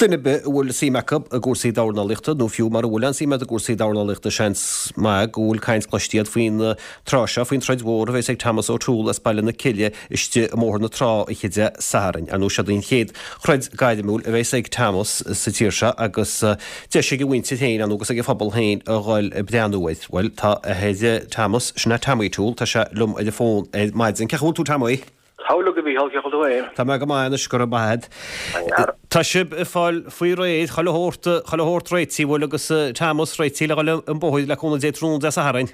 Duine ar bith a bhfuil suim acu i gcúrsaí dornálaíochta, nó fiú mara bhfuil aon suim agat i gcúrsaí dornálaíochta, seans maith go bhfuil caint cloiste agat faoin tráth seo, faoin troid mhór a bheas ag Thomas O'Toole as Baile na Cille istigh i mBóthar na Trá oíche Dé Sathairn. Ar ndóigh, seod í an chéad throid gairmiúil a bheas ag Thomas sa tír seo agus deis ag a mhuintir féin, ar ndóigh, agus ag a phobal féin a dhul ag breathnú air. Bhuel, tá athair Thomas, sin é Tommy O'Toole, tá sé liom ar an bhfón ar maidin. Cén chaoi a bhfuil tú, Tommy? Tá uilig a Mhícheál, cén chaoi a bhfuil tú féin? Tá mé go maith anois, go raibh maith agat. Tá sibh ag fáil faoi réir, chuile shórt, chuile shórt réitithe, bhfuil, agus Thomas réitithe le dhul an bóthar le cúnamh Dé tráthnóna Dé Sathairn?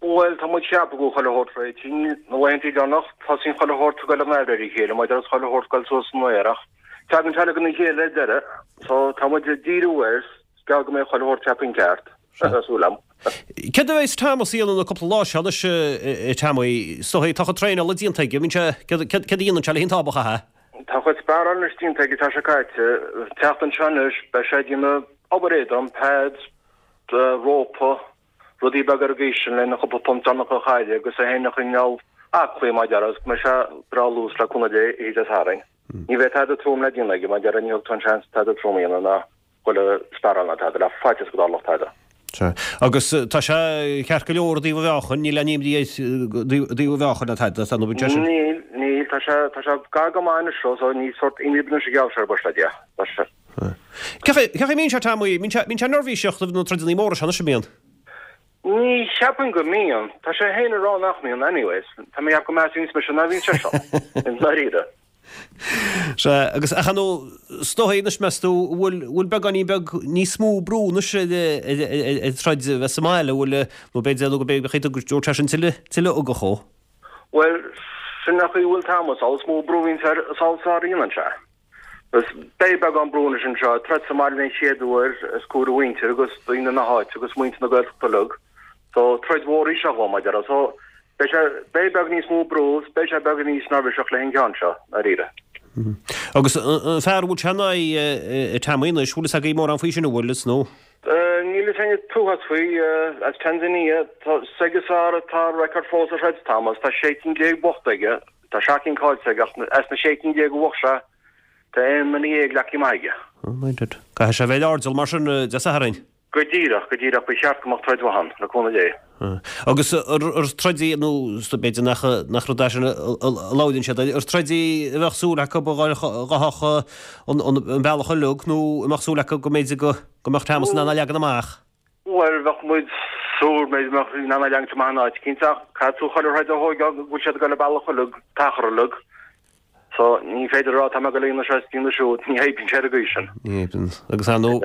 Bhuel, tá muid ag ceapadh go bhfuil chuile shórt réitithe. Na laethanta deireanach, tosaíonn chuile shórt ag goil in aimhréidh a chéile, maidir is chuile shórt ag goil suas san aer ach tagann sé uilig ina chéile ar deireadh. So, tá muid ag díriú air, is gearr go mbeidh chuile shórt ceaptha ceart. Tá súil agam. Céard a bheas Thomas a dhéanamh na cúpla lá seo anois, a Tommy? Is dóigh, tá a chuid traenála déanta aige, bíonn sé, céard a dhéanann sé le haghaidh an tábach, a? Tá a chuid sparáil anois déanta aige, tá sé caite. An tseachtain seo anois, beidh sé ag déanamh obair éadrom, pads, rópa, rudaí beaga ar an gcaoi sin lena chúpla punt deireanach a chailleadh agus é féin a choinneáil aclaí mar a déarfá agus go mbeidh sé breá luas le cúnamh Dé oíche Dé Sathairn. Ní bheidh tada trom le déanamh aige mar a déarfá ní thugtar an seans tada trom a dhéanamh ná dhul ag sparáil ná tada, le faitíos go dtarlódh tada. Sea. Agus tá sé ceart go leor i dtaobh a mheáchain, níl aon imní air i dtaobh a mheáchain ná tada, tá nó bíonn sé sin. Níl, níl, tá sé, tá sé gar go maith anois so ní sórt imní anois a gheobhadh sé ar buis le Dia. Tá sé. Cén chaoi a mbíonn sé, Tommy? Mbíonn sé, mbíonn sé neirbhíseach roimh na troideanna móra seo anois, an mbíonn? Ní cheapaim go mbíonn. Tá sé féin ag rá nach mbíonn anyways. Tá mé ag ceapadh go measfainn mise ná bhíonn sé seo. I ndáiríre. Sea, agus ach ar ndóigh, is dóigh anois meas tú, bhfuil, bhfuil beagáinín beag níos mó brú anois ar, ar, ar, ar troid a bheith sa mbaile, bhfuil, nó b'fhéidir, nó go b'fhéidir go dtabharfadh sé sin tuilleadh, tuilleadh ugach dhó? Bhuel, sin an chaoi a bhfuil Thomas, is mó brú a bhíonns air, is a sháraíonn sé. Agus beidh beagán brú anois anseo, troid sa mbaile den chéad uair os comhair a mhuintir agus daoine na háite agus muintir na Gaeltachta uilig. So troid mhór í seo dhó, mar a déarfá. So beidh sé, beidh beag níos mó brú is beidh sé beag níos neirbhíseach le an ceann seo, ndáiríre. Agus an fear a bhfuil sé in aghaidh, a Tommy anois, bhfuil fhios agaibh mórán faoi sin, an bhfuil, is nó? Níl fhios againn an t-uafás faoi, as Tanzania, tá, s'aige-san atá an record fós a throid Thomas, tá 16 cinn buachta aige, Tá 7 cinn caillte aige ach as na 16 cinn a bhuaigh sé, tá aon nduine dhéag leagtha amach aige. Oh my dad. Caithfidh sé a bheith ar airdeall mar sin Dé Sathairn. Go díreach, go díreach, ba cheart go mbeadh troid mhaith ann, le cúnamh Dé. Agus ar troid í, nó b'fhéidir nach nach rud é sin a labhraíonn siad air, ar troid í a bheadh súil acu a ghabhfadh an bealach uilig nó an mbeadh súil acu go mb'fhéidir go mbeadh Thomas in ann é a leagan amach? Bhuel, bheadh muid súil b'fhéidir go mbeadh in ann é a leagaint amach in áit eicínt ach caithfidh tú chuile throid a thóigeáil go bhfuil siad ag dul an bealach uilig, an t-achar uilig. So, ní féidir a rá tá mé ag dul a dhéanamh seo is déanamh siúd, ní oibríonn sé ar an gcaoi sin. Ní oibríonn. Agus ar ndóigh,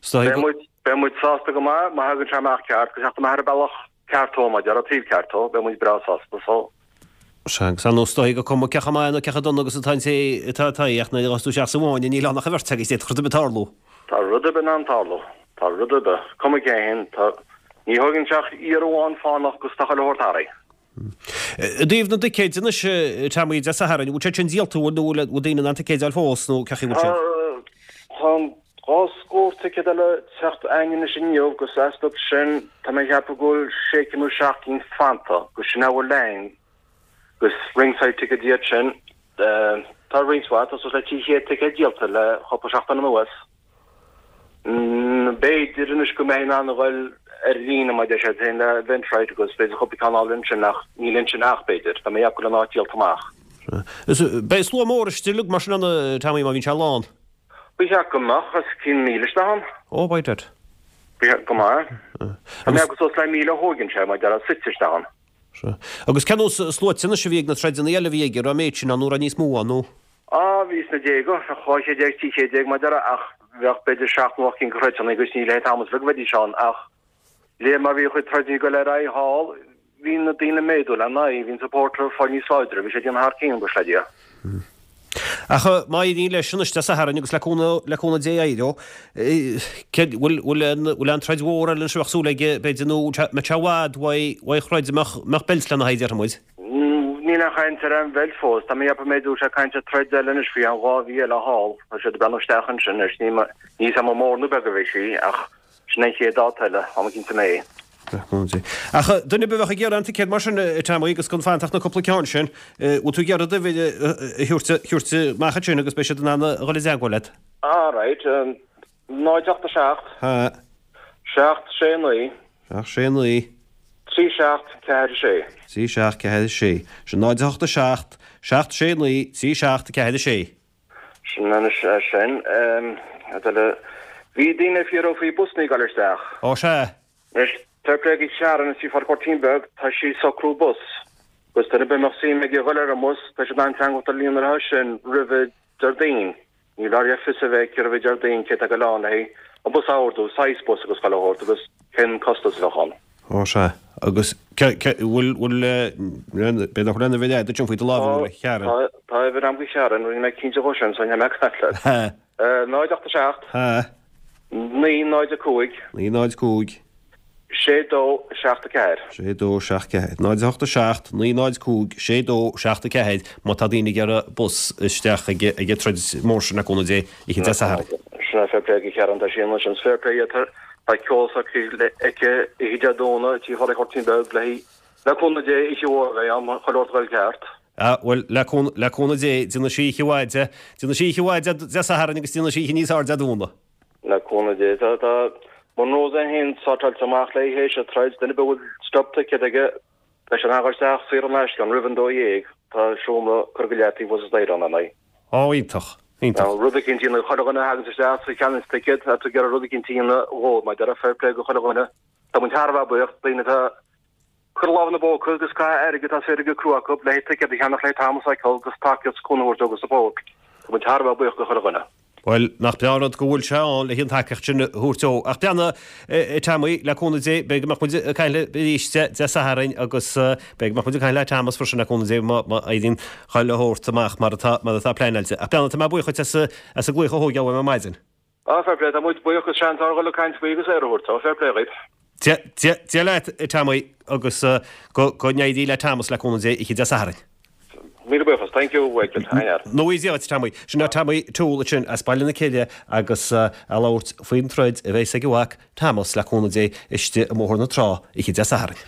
is dóigh go. Beidh muid sásta go maith má thagann sé amach ceart, go teacht amach ar an bealach ceart dhó, mar a déarfá, taobh ceart dhó, beidh muid breá sásta. So. Sea, agus ar ndóigh, is dóigh gur cuma cé chomh maith nó cé chomh dona agus atá an té atá id aghaidh, ach nuair a ghabhfas tú isteach sa bhfáinne, níl ann ach an bheirt agaibh, d'fhéadfadh rud ar bith tarlú. Tá rud ar bith in ann tarlú. Tá rud ar bith. Cuma cé hin, tá, ní thógann sé ach iarraidh amháin fánach agus tá chuile shórt athraithe. I dtaobh na dticéid anois, Tommy, Dé Sathairn, an bhfuil siad sin díolta, an bhfuil, nó bhfuil daoine in ann ticéid a fháil fós, nó cé chaoi a bhfuil siad? Tá an 2 scór ticéad eile ag teacht againn anois inniu agus astu sin tá mé ag ceapadh go bhfuil sé cinn nó seacht gcinn fanta agus sin a bhfuil againn agus ringside tickets iad sin. Tá roinnt mhaith, tá suas le 300 ticéad díolta le cúpla seachtain anuas. B'fhéidir anois go mbeidh in ann a dhul ar líne mar deir siad féin le Eventbrite agus b'fhéidir cúpla ceann a fháil ansin ach níl ansin ach b'fhéidir. Tá mé ag ceapadh go bhfuil an áit díolta amach. Beidh slua mór istigh mar sin ann, Tommy, má bhíonn sé lán. Ba cheart go mbeadh os cionn 1,000 isteach ann. Ó, by dad. Ba cheart go mbeadh. Tá mé agus suas le 1,000 a thóigeann sé, mar a déarfá, suite isteach ann. Sea. Agus cén nós sluaite anois a bhí ag na troideanna eile a bhí aige, raibh an méid sin ann nó raibh níos mó ann, nó? Á, bhí sna déaga, bheadh 200, 300, mar a déarfá, ach bheadh b'fhéidir seacht nó ocht gcinn de throideanna agus ní le haghaidh Thomas uilig a bheidís ann ach le mar bhí a chuid troideanna ag dul ar aghaidh thall, bhí na daoine ag méadú lena aghaidh, bhí an support ag fáil níos láidre, bhí sé ag déanamh thar cionn, buíochas le Dia. Ach má éiríonn leis anois Dé Sathairn agus le cúnamh, le cúnamh Dé éireoidh, céard, bhfuil, bhfuil aon, bhfuil aon troid mhór eile anois a bheadh súil aige, b'fhéidir, nó mbeadh sé i bhfad uaidh, uaidh throid a mbeadh, mbeadh beilt lena haghaidh, déarfaidh muid? Níl aon chaint ar aon bheilt fós. Tá mé ag ceapadh b'fhéidir go bhfuil sé ag caint ar troid eile anois faoi cheann 2 mhí eile thall. Tá siad ag breathnú isteach ansin anois. Níl, níl 'fhios a'm an mór nó beag a bheidh sí ach sin an chéad dáta eile, am eicínt i May. Le cúnamh Dé. Ach duine ar bith a bheadh ag iarraidh an ticéad mar sin, a Tommy, agus gan fanacht ach na cúpla ceann sin, bhfuil tú ag iarraidh d'uimhir a thabhairt amach ansin agus beidh siad in ann a dhul i dteagmháil leat? All right. 0 8 7. Ha. 7 6 9. 7 6 9. 3 7 4 6. 3 7 4 6. Sin 0 8 7 7 6 9 3 7 4 6. Sin anois é sin. Cad eile? Bhí daoine ag fiafraí faoi busanna ag dul isteach. Ó sea. Anois, fair play go Sharon i Tigh Phádraig Ghoirtín Beag, tá sí ag socrú bus. Agus duine ar bith a mbeadh suim aige a dhul ar an mbus, tá siad in ann teagmháil a dhéanamh leo sin roimhe Déardaoin. Níl ar fios a bheith cérbh Déardaoin cé tá ag dul ann le haghaidh an bus a ordú, saghas bus agus chuile shórt agus cén costas a bheadh ann. Ó sea. Agus bhfuil, bhfuil, b'fhéidir nach bhfuil aon uimhir agat ansin faoi do lámh, an bhfuil, a Sharon? Tá, tá uimhir agam do Sharon, rinne mé cinnte dhó sin so níl mé ag caint leat. 0 8 7. 9 0 5. 9 0 5. 6 2 7 4. 6 2 7 4. 0 8 7 9 0 5 6 2 7 4 Má tá daoine ag iarraidh bus isteach ag an troid mór sin le cúnamh Dé oíche Dé Sathairn. Sin é fair play do Sharon tá sí anois an fair play tá ceol s'aici aici oíche Dé Domhnaigh Tigh Phádraig Ghoirtín Beag le le cúnamh Dé oíche mhór a bheidh ann chuile shórt a dhul ceart. Ah bhuel le le cúnamh Dé déanfaidh sí oíche mhaith de déanfaidh sí oíche mhaith Dé Sathairn agus déanfaidh sí oíche níos fearr Dé Domhnaigh. Le cúnamh Dé. Tá tá Monroe's é féin sortáilte amach le théis an troid, duine ar bith a bhfuil stub ticket aige, beidh sé in ann a dhul isteach saor in aisce ann roimh an 12:00, tá seomra curtha go leataobh thuas sa staighre ann, ar ndóigh. Ó, iontach, iontach. Rud eicínt a dhéanamh, chuile dhuine a thaganns isteach is a cheannaíonns ticéad, tá tú ag iarraidh rud eicínt a dhéanamh dhóibh, mar a déarfá, fair play go chuile dhuine. Tá muid thar a bheith buíoch, daoine atá. Cur lámh ina bpóca agus caitheamh airgid as airgead crua acu le haghaidh ticéad a cheannach le Thomas a fheiceáil agus tacaíocht 's cúnamh a thabhairt dó agus support. Tá muid thar a bheith buíoch go chuile dhuine. Bhuel, nach breá an rud go bhfuil sé ann le haghaidh an tacaíocht sin a thabhairt dó. Ach breathnaigh, a Tommy, le cúnamh Dé, b'fhéidir go mbeadh muid ag caint leat arís Dé Sathairn agus b'fhéidir go mbeadh muid ag caint le Thomas freisin le cúnamh Dé má éiríonn chuile shórt amach mar atá mar atá pleanáilte. Ach breathnaigh, tá mé buíoch dhuit as an glaoch a thógáil uaim ar maidin. Ah, fair play, tá muid buíoch as seans ár dhul ag caint faoi agus aire a thabhairt dó, fair play dhaoib. Dia leat, a Tommy, agus go n-éirí le Thomas le cúnamh Dé oíche Dé Sathairn. Míle buíochas, thank you, Michael, thar lear. No worries a Tommy. Sin é Tommy Toole ansin as Baile na Cille agus ag labhairt faoin troid a bheas ag a mhac Thomas le cúnamh Dé istigh i mBóthar na Trá oíche Dé Sathairn.